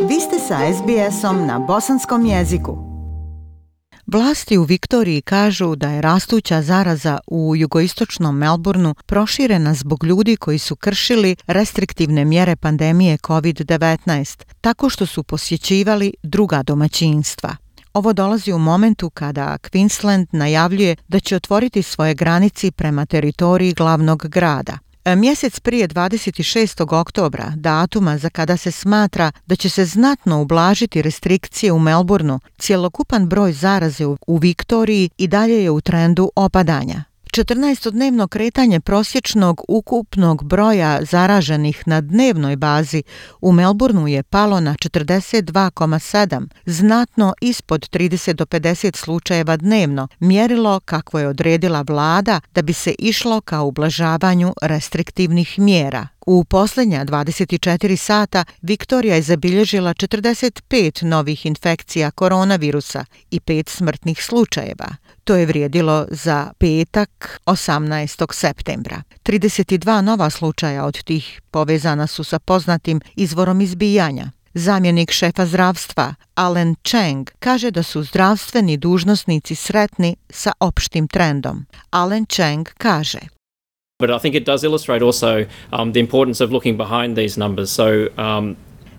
Vi ste sa SBS-om na bosanskom jeziku. Vlasti u Viktoriji kažu da je rastuća zaraza u jugoistočnom Melbourneu proširena zbog ljudi koji su kršili restriktivne mjere pandemije COVID-19 tako što su posjećivali druga domaćinstva. Ovo dolazi u momentu kada Queensland najavljuje da će otvoriti svoje granice prema teritoriji glavnog grada. Mjesec prije 26. oktobra, datuma za kada se smatra da će se znatno ublažiti restrikcije u Melbourneu, cjelokupan broj zaraze u Viktoriji i dalje je u trendu opadanja. 14-dnevno kretanje prosječnog ukupnog broja zaraženih na dnevnoj bazi u Melbourneu je palo na 42,7, znatno ispod 30 do 50 slučajeva dnevno, mjerilo kakvo je odredila vlada da bi se išlo ka ublažavanju restriktivnih mjera. U posljednja 24 sata Viktorija je zabilježila 45 novih infekcija koronavirusa i 5 smrtnih slučajeva. To je vrijedilo za petak 18. septembra. 32 nova slučaja od tih povezana su sa poznatim izvorom izbijanja. Zamjenik šefa zdravstva Alan Cheng kaže da su zdravstveni dužnosnici sretni sa opštim trendom. Alan Cheng kaže: But I think it does illustrate also the importance of looking behind these numbers.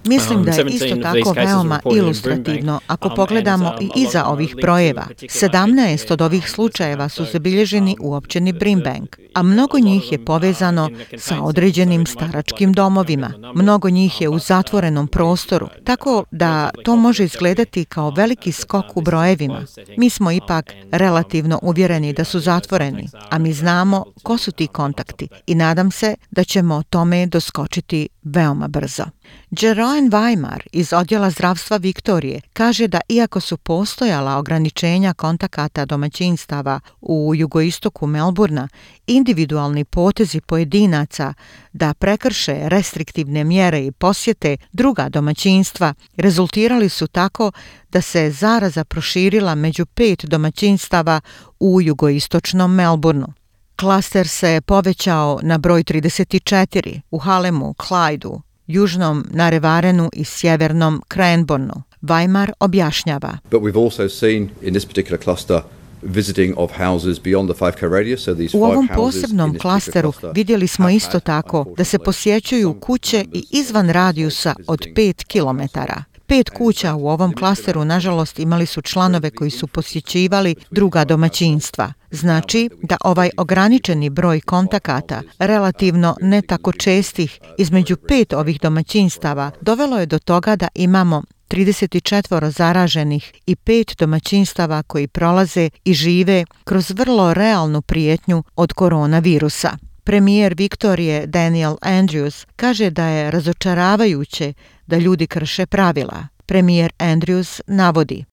Mislim da je isto tako veoma ilustrativno ako pogledamo i iza ovih brojeva. 17 od ovih slučajeva su zabilježeni u općini Brimbank, a mnogo njih je povezano sa određenim staračkim domovima. Mnogo njih je u zatvorenom prostoru, tako da to može izgledati kao veliki skok u brojevima. Mi smo ipak relativno uvjereni da su zatvoreni, a mi znamo ko su ti kontakti i nadam se da ćemo tome doskočiti veoma brzo. Jeroen Weimar iz odjela zdravstva Viktorije kaže da iako su postojala ograničenja kontakata domaćinstava u jugoistoku Melbournea, individualni potezi pojedinaca da prekrše restriktivne mjere i posjete druga domaćinstva rezultirali su tako da se zaraza proširila među 5 domaćinstava u jugoistočnom Melbourneu. Klaster se povećao na broj 34 u Halemu, Clydeu, južnom Narevarenu i sjevernom Cranbourneu. Weimar objašnjava. But we've also seen in this particular cluster visiting of houses beyond the 5K radius, so these U ovom 5 houses posebnom klasteru vidjeli smo isto tako da se posjećuju kuće i izvan radijusa od 5 kilometara. 5 kuća u ovom klasteru, nažalost, imali su članove koji su posjećivali druga domaćinstva. Znači da ovaj ograničeni broj kontakata, relativno ne tako čestih, između 5 ovih domaćinstava dovelo je do toga da imamo 34 zaraženih i 5 domaćinstava koji prolaze i žive kroz vrlo realnu prijetnju od koronavirusa. Premijer Viktorije Daniel Andrews kaže da je razočaravajuće da ljudi krše pravila. Premijer Andrews navodi: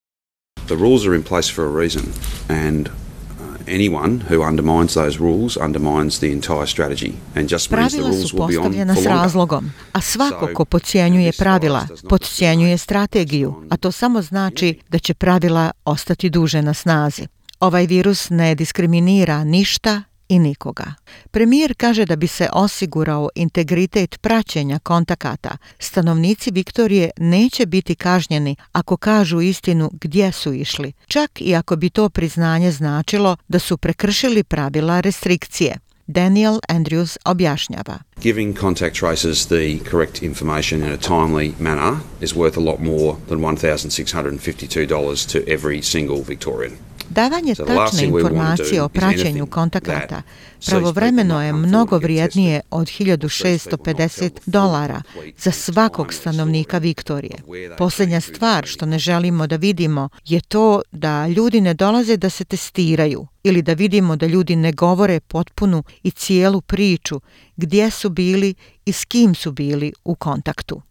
The rules are in place for a reason and anyone who undermines those rules undermines the entire strategy and just means the Pravila rules su will be on postavljena for s longer. razlogom, a svako ko podcjenjuje pravila, podcjenjuje strategiju, a to samo znači da će pravila ostati duže na snazi. Ovaj virus ne diskriminira ništa i nikoga. Premijer kaže da bi se osigurao integritet praćenja kontakata, stanovnici Viktorije neće biti kažnjeni ako kažu istinu gdje su išli, čak i ako bi to priznanje značilo da su prekršili pravila restrikcije. Daniel Andrews objašnjava. Giving contact tracers the correct information in a timely manner is worth a lot more than $1,652 to every single Victorian. Davanje tačne informacije o praćenju kontakata pravovremeno je mnogo vrijednije od $1,650 za svakog stanovnika Viktorije. Posljednja stvar što ne želimo da vidimo je to da ljudi ne dolaze da se testiraju ili da vidimo da ljudi ne govore potpunu i cijelu priču gdje su bili i s kim su bili u kontaktu.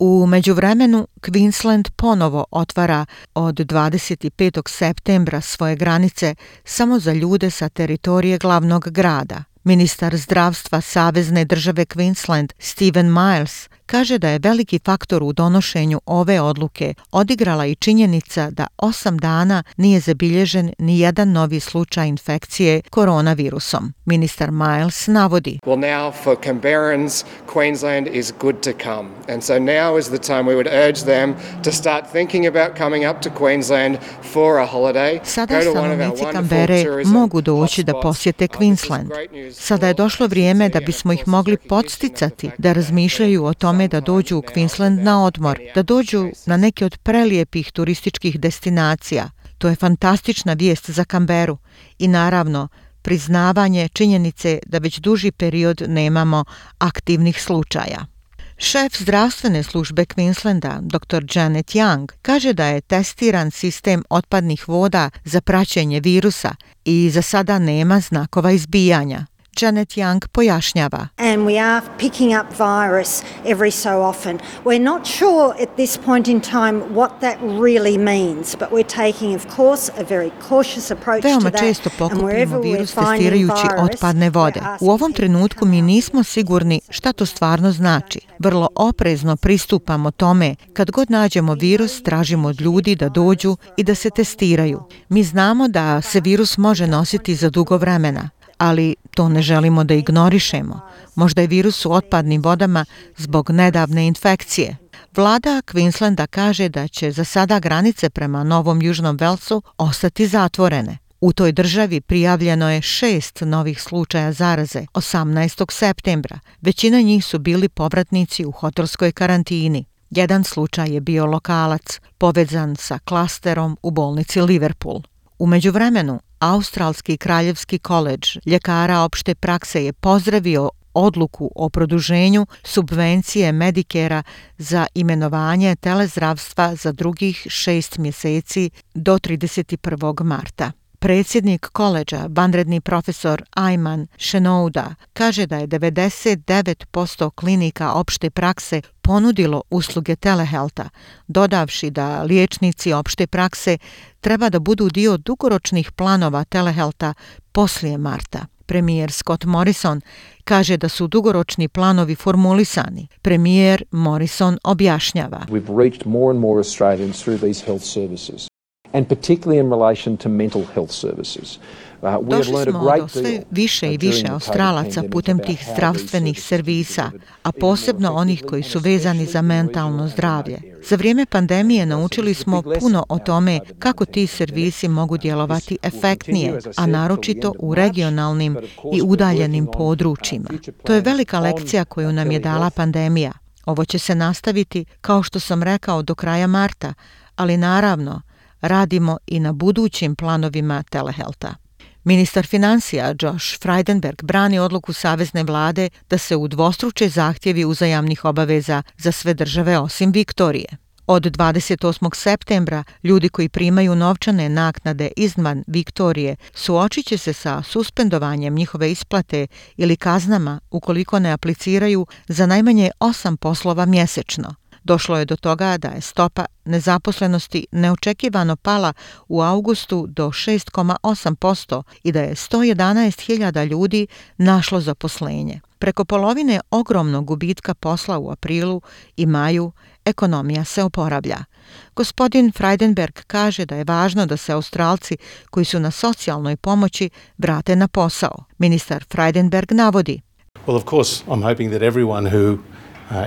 U međuvremenu, Queensland ponovo otvara od 25. septembra svoje granice samo za ljude sa teritorije glavnog grada. Ministar zdravstva Savezne države Queensland Stephen Miles kaže da je veliki faktor u donošenju ove odluke odigrala i činjenica da 8 dana nije zabilježen ni jedan novi slučaj infekcije koronavirusom. Ministar Miles navodi: Well, now for Canberrans, Queensland is good to come. And so now is the time we would urge them to start thinking about coming up to Queensland for a holiday. Sada stanovnici Canberre mogu doći da posjete Queensland. Sada je došlo vrijeme da bismo ih mogli podsticati da razmišljaju o tome da dođu u Queensland na odmor, da dođu na neke od prelijepih turističkih destinacija. To je fantastična vijest za Canberru i naravno priznavanje činjenice da već duži period nemamo aktivnih slučaja. Šef zdravstvene službe Queenslanda, dr. Janet Young, kaže da je testiran sistem otpadnih voda za praćenje virusa i za sada nema znakova izbijanja. Janet Young pojašnjava. And we are picking up virus every so often. We're not sure at this point in time what that really means, but we're taking, of course, a very cautious approach to that. Veoma često pokupimo virus testirajući otpadne vode. U ovom trenutku mi nismo sigurni šta to stvarno znači. Vrlo oprezno pristupamo tome. Kad god nađemo virus, tražimo od ljudi da dođu i da se testiraju. Mi znamo da se virus može nositi za dugo vremena, ali to ne želimo da ignorišemo. Možda je virus u otpadnim vodama zbog nedavne infekcije. Vlada Queenslanda kaže da će za sada granice prema Novom Južnom Velsu ostati zatvorene. U toj državi prijavljeno je 6 novih slučaja zaraze 18. septembra. Većina njih su bili povratnici u hotelskoj karantini. Jedan slučaj je bio lokalac, povezan sa klasterom u bolnici Liverpool. U međuvremenu, Australski kraljevski koledž ljekara opšte prakse je pozdravio odluku o produženju subvencije Medicare-a za imenovanje telezdravstva za drugih 6 mjeseci do 31. marta. Predsjednik koledža, vanredni profesor Ayman Shenouda, kaže da je 99% klinika opšte prakse ponudilo usluge telehealtha, dodavši da liječnici opšte prakse treba da budu dio dugoročnih planova telehealtha poslije marta. Premijer Scott Morrison kaže da su dugoročni planovi formulisani. Premijer Morrison objašnjava. We've reached more and more Australians through these health services, and particularly in relation to mental health services. Došli smo do sve više i više Australaca putem tih zdravstvenih servisa, a posebno onih koji su vezani za mentalno zdravlje. Za vrijeme pandemije naučili smo puno o tome kako ti servisi mogu djelovati efektnije, a naročito u regionalnim i udaljenim područjima. To je velika lekcija koju nam je dala pandemija. Ovo će se nastaviti, kao što sam rekao, do kraja marta, ali naravno radimo i na budućim planovima telehealtha. Ministar financija Josh Frydenberg brani odluku savezne vlade da se udvostruče zahtjevi uzajamnih obaveza za sve države osim Viktorije. Od 28. septembra ljudi koji primaju novčane naknade izvan Viktorije suočit će se sa suspendovanjem njihove isplate ili kaznama ukoliko ne apliciraju za najmanje 8 poslova mjesečno. Došlo je do toga da je stopa nezaposlenosti neočekivano pala u augustu do 6,8% i da je 111.000 ljudi našlo zaposlenje. Preko polovine ogromnog gubitka posla u aprilu i maju ekonomija se oporavlja. Gospodin Frydenberg kaže da je važno da se Australci koji su na socijalnoj pomoći vrate na posao. Ministar Frydenberg navodi. Well, of course, I'm hoping that everyone who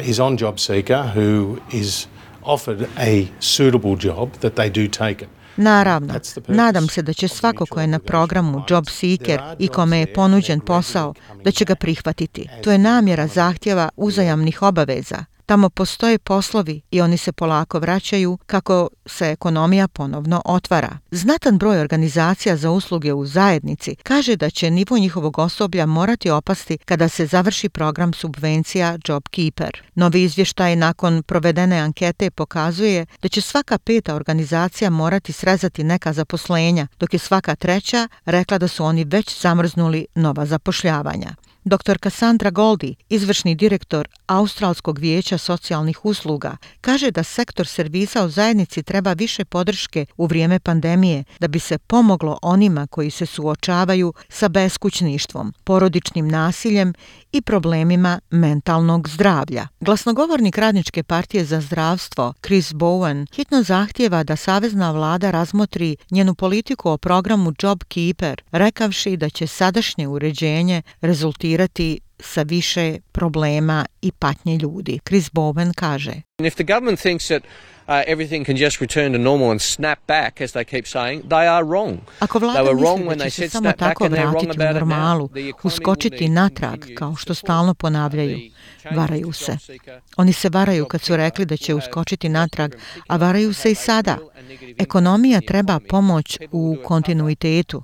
is on job seeker, who is offered a suitable job, that they do take it. Naravno, nadam se da će svako ko je na programu Job Seeker i kome je ponuđen posao, da će ga prihvatiti. To je namjera zahtjeva uzajamnih obaveza. Tamo postoje poslovi i oni se polako vraćaju kako se ekonomija ponovno otvara. Znatan broj organizacija za usluge u zajednici kaže da će nivo njihovog osoblja morati opasti kada se završi program subvencija JobKeeper. Novi izvještaj nakon provedene ankete pokazuje da će svaka 5. organizacija morati srezati neka zaposlenja, dok je svaka 3. rekla da su oni već zamrznuli nova zapošljavanja. Dr. Cassandra Goldie, izvršni direktor Australskog vijeća socijalnih usluga, kaže da sektor servisa u zajednici treba više podrške u vrijeme pandemije da bi se pomoglo onima koji se suočavaju sa beskućništvom, porodičnim nasiljem i problemima mentalnog zdravlja. Glasnogovornik Radničke partije za zdravstvo Chris Bowen hitno zahtijeva da savezna vlada razmotri njenu politiku o programu JobKeeper, rekavši da će sadašnje uređenje rezultirati sa više problema i patnje ljudi. Chris Bowen kaže: If the government thinks that everything can just return to normal and snap back, as they keep saying, they are wrong. Ako vlada misli da će se samo tako vratiti u normalu, uskočiti natrag, kao što stalno ponavljaju, varaju se. Oni se varaju kad su rekli da će uskočiti natrag, a varaju se i sada. Ekonomija treba pomoć u kontinuitetu,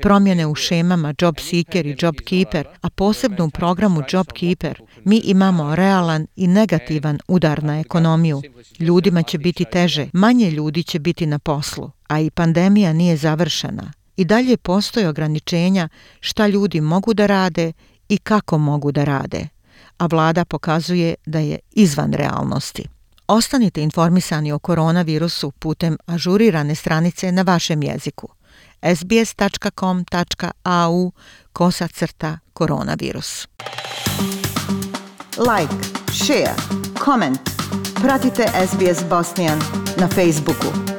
promjene u šemama JobSeeker i JobKeeper, a posebno u programu JobKeeper. Mi imamo realan i negativan udar na ekonomiju. Ljudima će biti teže, manje ljudi će biti na poslu, a i pandemija nije završena. I dalje postoje ograničenja šta ljudi mogu da rade i kako mogu da rade, a vlada pokazuje da je izvan realnosti. Ostanite informisani o koronavirusu putem ažurirane stranice na vašem jeziku. sbs.com.au/koronavirus. Like, share, comment. Pratite SBS Bosnian na Facebooku.